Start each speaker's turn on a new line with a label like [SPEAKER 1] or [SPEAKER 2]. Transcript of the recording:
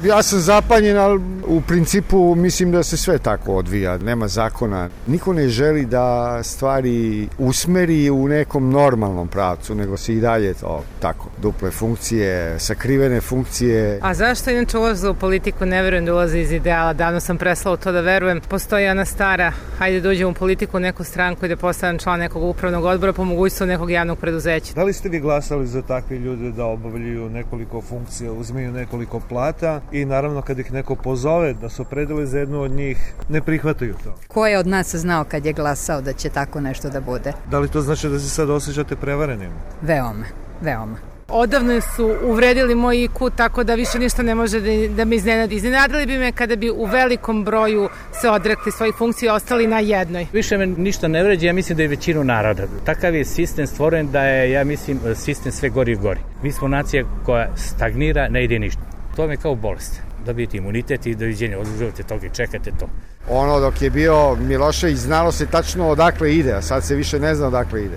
[SPEAKER 1] Ja sam zapanjen, ali u principu mislim da se sve tako odvija, nema zakona. Niko ne želi da stvari usmeri u nekom normalnom pravcu, nego se i dalje to tako, duple funkcije, sakrivene funkcije.
[SPEAKER 2] A zašto inače ulaze u politiku? Ne verujem da ulaze iz ideala, davno sam prestala u to da verujem. Postoji ona stara, hajde da uđem u politiku, u neku stranku i da postanem član nekog upravnog odbora, po mogućstvu nekog javnog preduzeća.
[SPEAKER 3] Da li ste vi glasali za takve ljude da obavljaju nekoliko funkcija, uzmeju nekoliko plata i naravno kad ih neko pozove da se opredele za jednu od njih, ne prihvataju to?
[SPEAKER 4] Ko je od nas znao kad je glasao da će tako nešto da bude?
[SPEAKER 3] Da li to znači da se sad osjećate prevarenim?
[SPEAKER 4] Veoma.
[SPEAKER 2] Odavno su uvredili moj IQ, tako da više ništa ne može da me iznenadi. Iznenadili bi me kada bi u velikom broju se odrekli svojih funkcija i ostali na jednoj.
[SPEAKER 5] Više me ništa ne vređa, ja mislim da je većinu naroda. Takav je sistem stvoren da je, ja mislim, sistem sve gori i gori. Mi smo nacija koja stagnira, ne ide ništa. To je kao bolest. Dobijete imunitet i doviđenja, odlužujete toga i čekate to.
[SPEAKER 1] Ono dok je bio Milošević znalo se tačno odakle ide, a sad se više ne zna odakle ide.